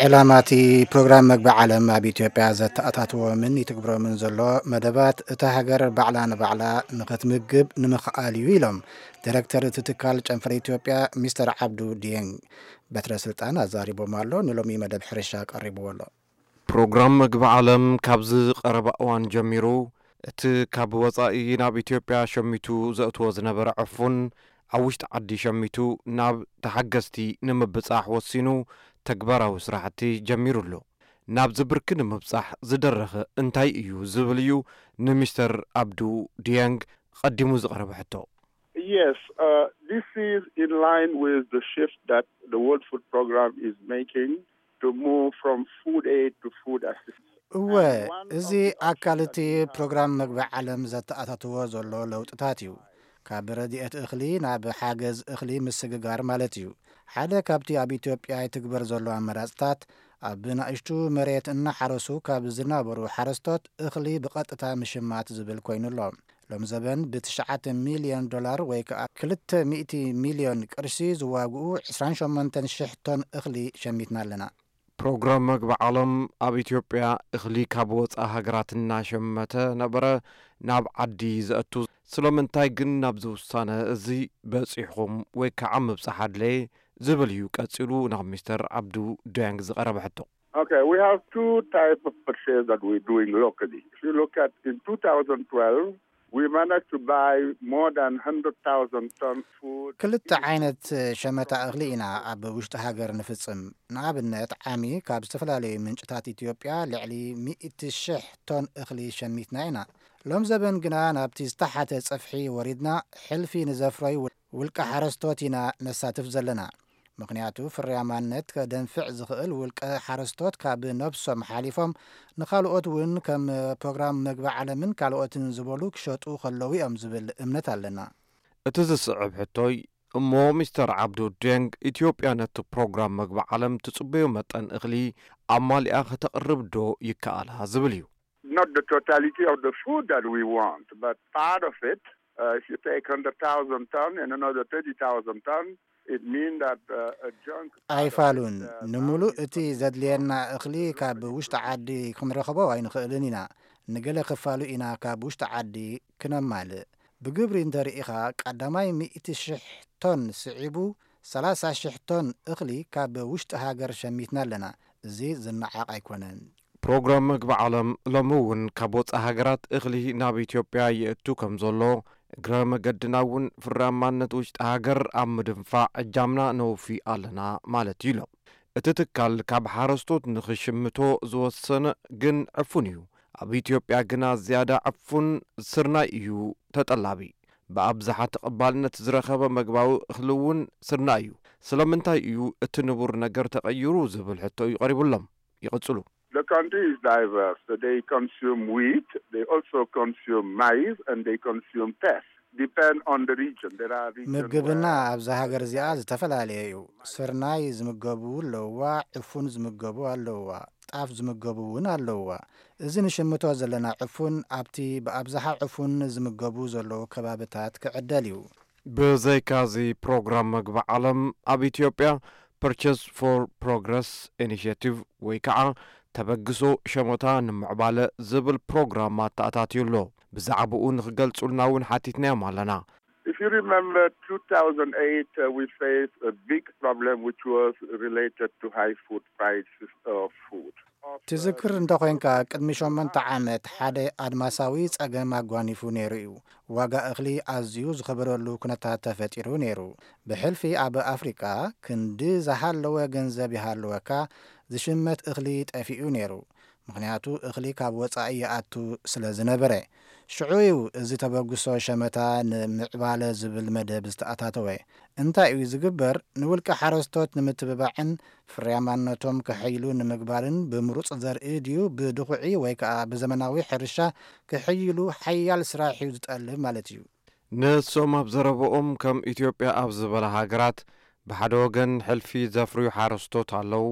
ዕላማ እቲ ፕሮግራም መግቢ ዓለም ኣብ ኢትዮጵያ ዘተኣታትዎምን ይትግብሮምን ዘሎ መደባት እታ ሃገር ባዕላ ንባዕላ ንኽትምግብ ንምኽኣል እዩ ኢሎም ዲሬክተር እቲ ትካል ጨንፈር ኢትዮጵያ ሚስተር ዓብዱ ዲየንግ በትረ ስልጣን ኣዛሪቦም ኣሎ። ንሎሚ መደብ ሕርሻ ቀሪብዎ ኣሎ። ፕሮግራም መግቢ ዓለም ካብዚ ቀረባ እዋን ጀሚሩ እቲ ካብ ወጻኢ ናብ ኢትዮጵያ ሸሚቱ ዘእትዎ ዝነበረ ዕፉን ኣብ ውሽጢ ዓዲ ሸሚቱ ናብ ተሓገዝቲ ንምብጻሕ ወሲኑ ተግባራዊ ስራሕቲ ጀሚሩ ኣሎ። ናብዚ ብርኪ ንምብጻሕ ዝደረኸ እንታይ እዩ ዝብል እዩ ንሚስተር ኣብዱ ዲያንግ ቀዲሙ ዝቐረበ ሕቶ። Yes, uh, this is in line with the shift that the World Food Program is making to move from food aid to food assistance. እወ፣ እዚ ኣካል እቲ ፕሮግራም መግቢ ዓለም ዘተኣታትዎ ዘሎ ለውጥታት እዩ። ካብ ረድኤት እኽሊ ናብ ሓገዝ እኽሊ ምስግጋር ማለት እዩ። ሓደ ካብቲ ኣብ ኢትዮጵያ ይትግበር ዘሎ ኣመራፅታት ኣብ ናእሽቱ መሬት እናሓረሱ ካብ ዝናበሩ ሓረስቶት እኽሊ ብቐጥታ ምሽማት ዝብል ኮይኑ ኣሎ። ሎም ዘበን ብትሽዓተ ሚልዮን ዶላር ወይ ከዓ ክልተ ሚእቲ ሚልዮን ቅርሺ ዝዋግኡ ዕስራን ሸሞንተን ሽሕ ቶን እኽሊ ሸሚትና ኣለና። ፕሮግራም መግቢ ዓለም ኣብ ኢትዮጵያ እኽሊ ካብ ወፃኢ ሃገራት እናሸመተ ነበረ ናብ ዓዲ ዘእቱ። ስለምንታይ ግን ናብዚ ውሳነ እዚ በፂሕኹም ወይ ከዓ ምብፃሕ ኣድለየ ዝብል እዩ ቀፂሉ ናብ ሚስተር ኣብዱ ዳያንግ ዝቐረበ ሕቶ። Okay, we have two type of purchase that we're doing locally. If you look at in two thousand twelve, we managed to buy more than one hundred thousand ton food. ክልተ ዓይነት ሸመታ እኽሊ ኢና ኣብ ውሽጢ ሃገር ንፍጽም። ንኣብነት ዓሚ ካብ ዝተፈላለዩ ምንጭታት ኢትዮጵያ ልዕሊ ሚእቲ ሽሕ ቶን እኽሊ ሸሚትና ኢና። ሎም ዘበን ግና ናብቲ ዝተሓተ ጽፍሒ ወሪድና ሕልፊ ንዘፍረዩ ውልቀ ሓረስቶት ኢና ነሳትፍ ዘለና። ምኽንያቱ ፍርያማነት ከደንፍዕ ዝኽእል ውልቀ ሓረስቶት ካብ ነብሶም ሓሊፎም ንኻልኦት እውን ከም ፕሮግራም መግቢ ዓለምን ካልኦትን ዝበሉ ክሸጡ ከለዉ እዮም ዝብል እምነት ኣለና። እቲ ዝስዕብ ሕቶይ እሞ ሚስተር ዓብዱ ዴንግ ኢትዮጵያ ነቲ ፕሮግራም መግቢ ዓለም ትጽበዮ መጠን እኽሊ ኣማሊኣ ከተቕርብ ዶ ይከኣላ ዝብል እዩ። Not the totality of the food that we want, but part of it. Uh, if you take one hundred thousand ton and another thirty thousand ton, it means that uh, a chunk. Part of it, ኣይፋሉን uh, ንምሉእ balance እቲ ዘድልየና እኽሊ ካብ ውሽጢ ዓዲ ክንረኽቦ ኣይንኽእልን ኢና። ንገለ ክፋሉ ኢና ካብ ውሽጢ ዓዲ ክነማልእ። ብግብሪ እንተርኢኻ ቀዳማይ ሚእቲ ሽሕ ቶን ስዒቡ ሰላሳ ሽሕ ቶን እኽሊ ካብ ውሽጢ ሃገር ሸሚትና ኣለና። እዚ ዝነዓቕ ኣይኮነን። ፕሮግራም መግቢ ዓለም ሎሚ እውን ካብ ወፃኢ ሃገራት እኽሊ ናብ ኢትዮጵያ ይእቱ ከም ዘሎ፣ እግረ መገድና እውን ፍርያማነት ውሽጢ ሃገር ኣብ ምድንፋዕ እጃምና ነውፊ ኣለና ማለት እዩ ኢሎም። እቲ ትካል ካብ ሓረስቶት ንኽሽምቶ ዝወሰነ ግን ዕፉን እዩ። ኣብ ኢትዮጵያ ግና ዝያዳ ዕፉን ስርናይ እዩ ተጠላቢ። ብኣብዝሓ ተቐባልነት ዝረኸበ መግባዊ እኽሊ እውን ስርናይ እዩ። ስለምንታይ እዩ እቲ ንቡር ነገር ተቐይሩ ዝብል ሕቶ እዩ ቀሪቡሎም። ይቕጽሉ። The country is diverse. They consume wheat. They also consume maize and they consume teff. Depend on the region. There are regions ምግብና where ኣብዚ ሃገር እዚኣ ዝተፈላለየ እዩ። ስርናይ ዝምገቡ ኣለውዋ፣ ዕፉን ዝምገቡ ኣለውዋ፣ ጣፍ ዝምገቡ እውን ኣለውዋ። እዚ ንሽምቶ ዘለና ዕፉን ኣብቲ ብኣብዝሓ ዕፉን ዝምገቡ ዘለዉ ከባብታት ክዕደል እዩ። ብዘይካዚ ፕሮግራም መግቢ ዓለም ኣብ ኢትዮጵያ ፐርቸስ ፎር ፕሮግረስ ኢኒሽቲቭ ወይ ከዓ ተበግሶ ሸመታ ንምዕባለ ዝብል ፕሮግራም ኣተኣታትዩ ኣሎ። ብዛዕባኡ ንክገልጹልና እውን ሓቲትናዮም ኣለና። If you remember two thousand eight, uh, we faced a big problem which was related to high food prices of food. ትዝክር እንተኾይንካ ቅድሚ ሸሞንተ ዓመት ሓደ ኣድማሳዊ ጸገም ኣጓኒፉ ነይሩ እዩ። ዋጋ እኽሊ ኣዝዩ ዝኸበረሉ ኩነታት ተፈጢሩ ነይሩ። ብሕልፊ ኣብ ኣፍሪቃ ክንዲ ዝሃለወ ገንዘብ ይሃለወካ ዝሽመት እኽሊ ጠፊኡ ነይሩ። ምኽንያቱ እኽሊ ካብ ወጻኢ ይኣቱ ስለ ዝነበረ። ሽዑ እዩ እዚ ተበግሶ ሸመታ ንምዕባለ ዝብል መደብ ዝተኣታተወ። እንታይ እዩ ዝግበር? ንውልቀ ሓረስቶት ንምትብባዕን ፍርያማነቶም ከሐይሉ ንምግባርን ብምሩጽ ዘርኢ ድዩ ብድኹዒ ወይ ከኣ ብዘመናዊ ሕርሻ ክሕይሉ ሓያል ስራሕ እዩ ዝጠልብ ማለት እዩ። ንሶም ኣብ ዘረበኦም ከም ኢትዮጵያ ኣብ ዝበላ ሃገራት ብሓደ ወገን ሕልፊ ዘፍርዩ ሓረስቶት ኣለዉ፣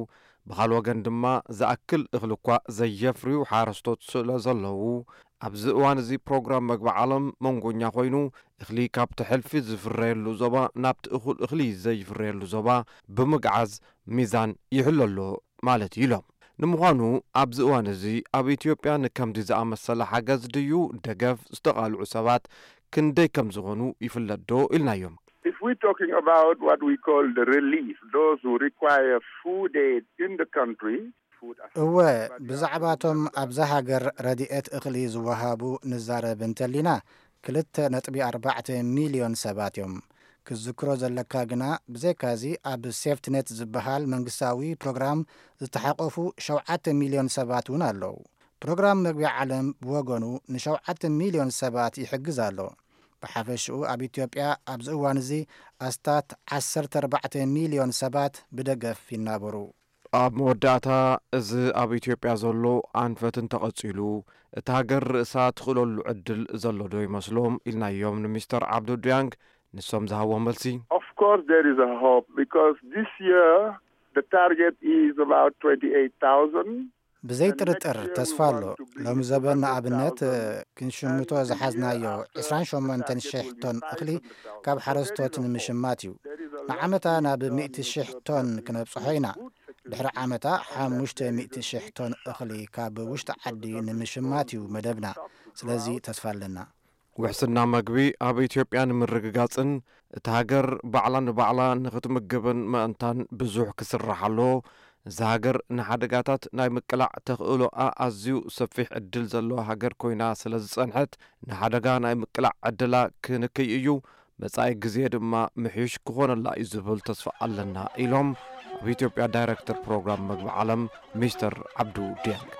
ብኻል ወገን ድማ ዝኣክል እኽሊ እኳ ዘየፍርዩ ሓረስቶት ስለ ዘለዉ ኣብዚ እዋን እዚ ፕሮግራም መግቢ ዓለም መንጎኛ ኮይኑ እኽሊ ካብቲ ሕልፊ ዝፍረየሉ ዞባ ናብቲ እኹል እኽሊ ዘይፍረየሉ ዞባ ብምግዓዝ ሚዛን ይሕሎ ኣሎ ማለት እዩ ኢሎም። ንምዃኑ ኣብዚ እዋን እዚ ኣብ ኢትዮጵያ ንከምዚ ዝኣመሰለ ሓገዝ ድዩ ደገፍ ዝተቓልዑ ሰባት ክንደይ ከም ዝኾኑ ይፍለጥ ዶ ኢልናዮም። If we're talking about what we call the relief, those who require food aid in the country, food እወ፣ ብዛዕባቶም ኣብዛ ሃገር ረድኤት እኽሊ ዝወሃቡ ንዛረብ እንተሊና፣ ክልተ ነጥቢ ኣርባዕተ ሚልዮን ሰባት እዮም። ክዝክሮ ዘለካ ግና፣ ብዘይካዚ ኣብ ሴፍትኔት ዝበሃል መንግስታዊ ፕሮግራም ዝተሓቆፉ ሸውዓተ ሚልዮን ሰባት እውን ኣለዉ። ፕሮግራም መግቢ ዓለም ብወገኑ ንሸውዓተ ሚልዮን ሰባት ይሕግዝ ኣሎ። ብሓፈሽኡ ኣብ ኢትዮጵያ ኣብዚ እዋን እዚ ኣስታት ዓሰርተ ኣርባዕተ ሚልዮን ሰባት ብደገፍ ይናበሩ። ኣብ መወዳእታ፣ እዚ ኣብ ኢትዮጵያ ዘሎ ኣንፈት እንተቐጺሉ፣ እታ ሃገር ርእሳ ትኽእለሉ ዕድል ዘሎ ዶ ይመስሎም ኢልናዮም ንሚስተር ዓብዱ ዲያንግ። ንሶም ዝሃብዎ መልሲ፣ Of course, there is a hope because this year the target is about twenty-eight thousand. ብዘይ ጥርጥር ተስፋ ኣሎ። ሎሚ ዘበን ንኣብነት ክንሽምቶ ዝሓዝናዮ ዕስራን ሸሞንተን ሽሕ ቶን እኽሊ ካብ ሓረስቶት ንምሽማት እዩ። ንዓመታ ናብ ሚእቲ ሽሕ ቶን ክነብጽሖ ኢና። ድሕሪ ዓመታ ሓሙሽተ ሚእቲ ሽሕ ቶን እኽሊ ካብ ውሽጢ ዓዲ ንምሽማት እዩ መደብና። ስለዚ ተስፋ ኣለና። ውሕስና መግቢ ኣብ ኢትዮጵያ ንምርግጋጽን እታ ሃገር ባዕላ ንባዕላ ንኽትምግብን ምእንታን ብዙሕ ክስራሕ ኣለዎ። እዛ ሃገር ንሓደጋታት ናይ ምቅላዕ ተኽእሎኣ ኣዝዩ ሰፊሕ ዕድል ዘለዋ ሃገር ኮይና ስለ ዝጸንሐት፣ ንሓደጋ ናይ ምቅላዕ ዕድላ ክንክይ እዩ። መጻኢ ግዜ ድማ ምሕዩሽ ክኾነላ እዩ ዝብል ተስፋ ኣለና ኢሎም ኣብ ኢትዮጵያ ዳይረክተር ፕሮግራም መግቢ ዓለም ሚስተር ዓብዱ ዲያንግ።